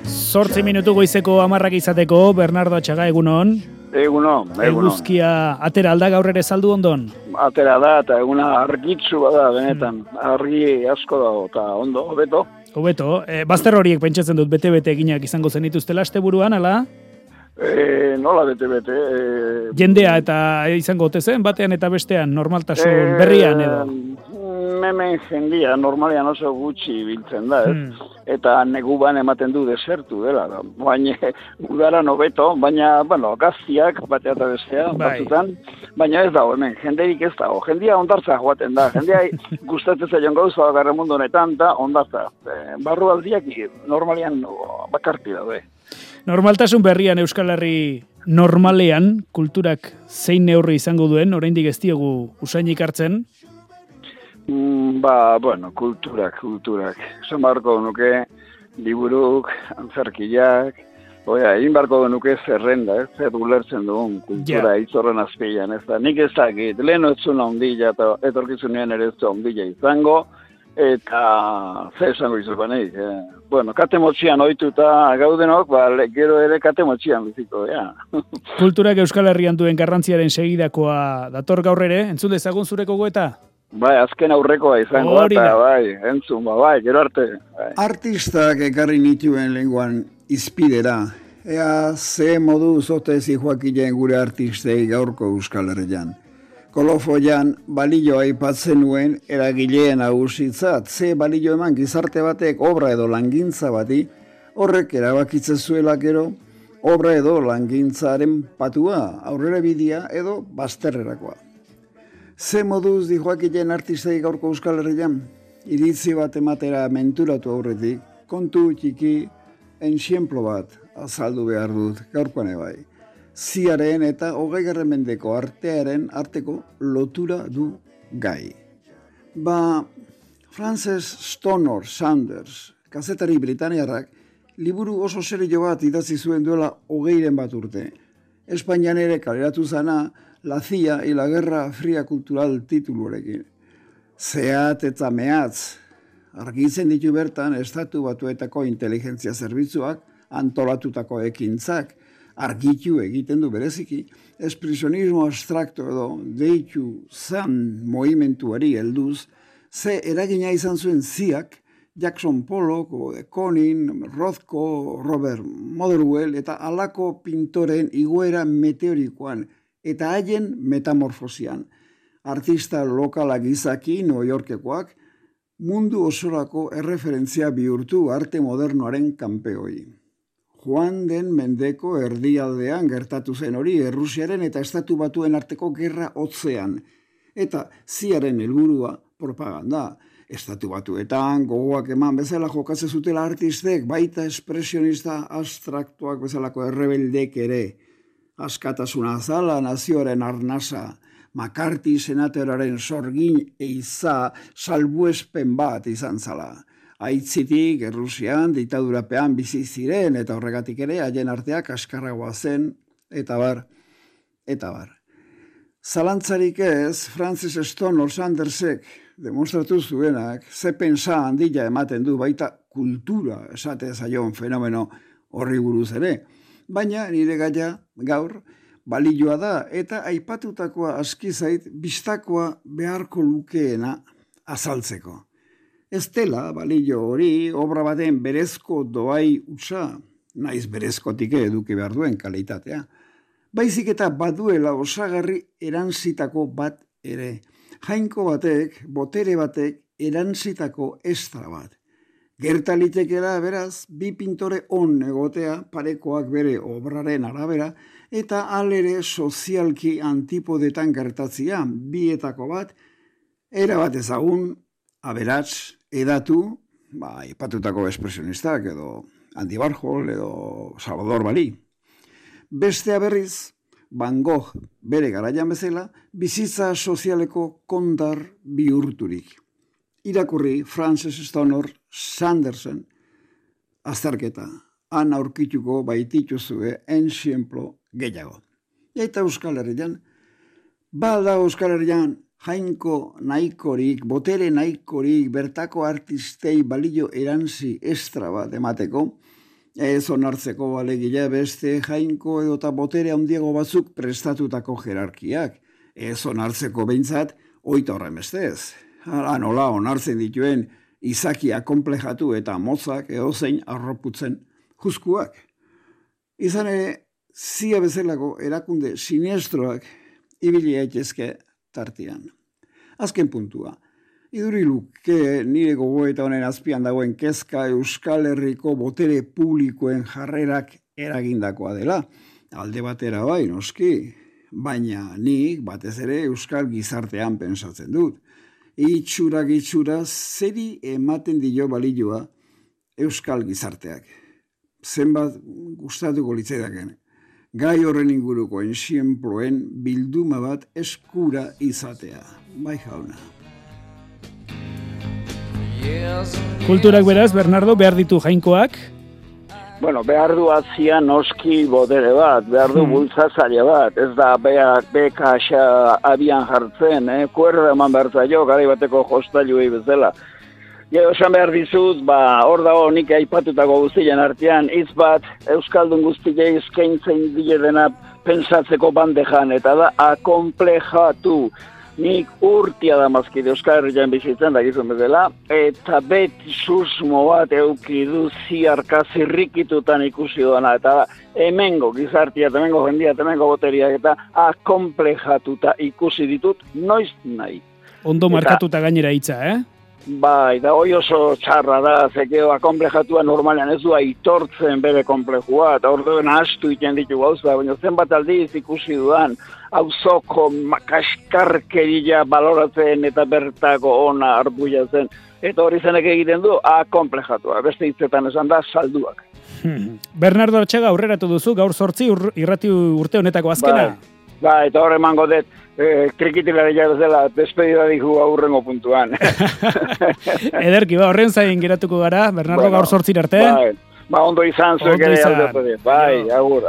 Zortzi minutu goizeko 10 izateko, Bernardo Atxaga, egunon. Egunon. Eguzkia atera alda gaur ere saldu ondon? Atera da, eta eguna argitzu bada, benetan. Argi asko dago, eta ondo, hobeto. Hobeto, bazter horiek pentsatzen dut bete-bete eginak izango zenituztela asteburuan, ala? Nola bete-bete. Jendea eta izango ote zen, batean eta bestean, normaltasun berrian edo? Hemen jendia, normalean oso gutxi biltzen da, eta neguban ematen du desertu dela. Baina, udaran hobeto, baina, gaztiak, batea eta bestea, batzutan, baina ez dago, hemen, jenderik ez dago. Jendia ondartza joaten da, jendia gustatzen zaion gauza garramundu honetan, da ondartza. Barrualdiak normalean bakarti daude. Normaltasun berrian Euskal Herri normalean, kulturak zein neurri izango duen, oraindik ez diegu usainik hartzen? Kulturak. Esan barko nuke, liburuk, antzerkiak, egin barko nuke zerrenda, zer ulertzen dugun kultura itzorren azpian, ez da. Nik ez dakit, lehen ez zuen ondila, eta etorkizunean ere ez zuen ondila izango, eta zer esango izupanik. Kate motxian ohituta gaudenok, gero ere kate motxian biziko, Kulturak Euskal Herrian duen garrantziaren segidakoa dator gaur ere, entzun dezagun zure gogoeta? Azken aurrekoa izango eta, entzun, gero arte. Artistak ekarri nituen lenguan izpidera, ea ze modu zotezi joakileen gure artistei gaurko Euskal Herrian. Kolofoian balio aipatzen nuen eragileen nagusitzat, ze balio eman gizarte batek obra edo langintza bati, horrek erabakitzen zuela gero, obra edo langintzaren patua, aurrera bidea edo bazterrerakoa. Ze moduz dijoakileen artistei gaurko Euskal Herrian, iritzi bat ematera menturatu aurretik, kontu txiki enxiemplo bat azaldu behar dut gaurkoan ebai. Ziaren eta 20. mendeko arteko lotura du gai. Frances Stonor Sanders, kazetari britaniarrak, liburu oso serio bat idatzi zuen duela 20 bat urte. Espainian ere kaleratu zana La CIA y la Guerra Fría Cultural tituluarekin. Zehat eta mehatz, argitzen ditu bertan estatu batuetako inteligentzia zerbitzuak antolatutako ekintzak, argitu egiten du bereziki, espresionismo abstrakto edo deitu zan movimentuari helduz, ze eragina izan zuen ziak, Jackson Pollock, de Kooning, Rothko, Robert Motherwell eta halako pintoren igoera meteorikoan, eta haien metamorfosian. Artista lokalak izaki, New Yorkekoak, mundu osorako erreferentzia bihurtu arte modernoaren kanpeoi. Joan den mendeko erdialdean gertatu zen hori Errusiaren eta Estatu Batuen arteko gerra hotzean. Eta ziaren helburua propaganda. Estatu Batuetan gogoak eman bezala jokatzen zutela artistek, baita espresionista abstraktuak bezalako errebeldek ere. Askatasuna azala, nazioaren arnasa, McCarthy senatoraren sorgin eiza salbuespen bat izan zala. Aitzitik, Errusian, diktadurapean bizi ziren eta horregatik ere haien arteak askarragoa zen, eta bar. Zalantzarik ez, Frances Stonor Sandersek demonstratu zuenak, ze pentsa handia ematen du baita kultura esate zaion fenomeno horri buruz ere. Baina nire gaia gaur balioa da eta aipatutakoa aski zait bistakoa beharko lukeena azaltzeko. Ez dela balio hori obra baten berezko doai utza, naiz berezkotik eduki behar duen kalitatea. Baizik eta baduela osagarri erantzitako bat ere. Jainko batek, botere batek erantzitako estra bat. Gertalitekela beraz, bi pintore on egotea parekoak bere obraren arabera eta alere sozialki antipodetan gertatzia bietako bat, erabat ezagun, aberats, edatu, ipatutako espresionistak edo Andy Warhol edo Salvador Dalí. Bestea berriz, Van Gogh bere garaian bezala, bizitza sozialeko kondar bihurturik. Irakurri Frances Stonor Sandersen azterketa, han aurkituko baitituzue enxiemplo gehiago. Eta Euskal Herrian, bada Euskal Herrian jainko nahikorik, botere nahikorik, bertako artistei balio erantzi estra bat emateko, ez onartzeko balegila beste jainko edota botere handiago batzuk prestatutako jerarkiak, ez onartzeko behintzat oita horren bestez. Hala nola onartzen dituen izakia konplejatu eta mozak edozein arroputzen juzkuak. Izan ere, zia bezalako erakunde sinestroak ibili daitezke tartian. Azken puntua. Iduriluke nire gogoeta honen azpian dagoen kezka Euskal Herriko botere publikoen jarrerak eragindakoa dela. Alde batera bai, noski, baina nik batez ere Euskal gizartean pensatzen dut. Itxura zeri ematen dio balioa Euskal gizarteak. Zenbat gustatuko litzaidaken. Gai horren inguruko ensiemploen bilduma bat eskura izatea. Bai jauna. Kulturak beraz, Bernardo, behar ditu jainkoak? Bueno, behar du atzia noski botere bat, behar du bultzazaile bat, ez da beka abian jartzen, kuerda eman behar zailo, gara bateko jostailuei bezala. Gero esan behar dizut, hor dago nik aipatutako guztien artean, hitz bat Euskaldun guztiei eskaintzen diedena pensatzeko bandejan, eta da akonplejatu. Nik urtia da mazkide Euskal Herrian bizitzen da gizun bezala, eta beti susmo bat eukidu ziarka zirrikitutan ikusi doana, eta da hemengo gizartia, hemengo jendia, hemengo boteriak, eta akonplejatuta ikusi ditut noiz nahi. Ondo markatuta gainera hitza, Bai, da hoi oso txarra da, zekeo akonplejatua normalean ez du aitortzen bere konplejua, eta orduen astu iten ditu gauza, baina zenbat aldiz ikusi dudan, auzoko kaskarkeria baloratzen eta bertako ona arbuiatzen, eta hori zenek egiten du akonplejatua, beste hitzetan esan da salduak. Bernardo Artxaga aurreratu duzu, gaur 8 irrati urte honetako azkena. Ba, eta horre emango dut, krikitilaria bezala, despedida dihu aurrengo puntuan. Ederki, horren zain geratuko gara, Bernardo, gaur 8 arte. Ondo izan zuek ere aldatu dut. Bai, agur.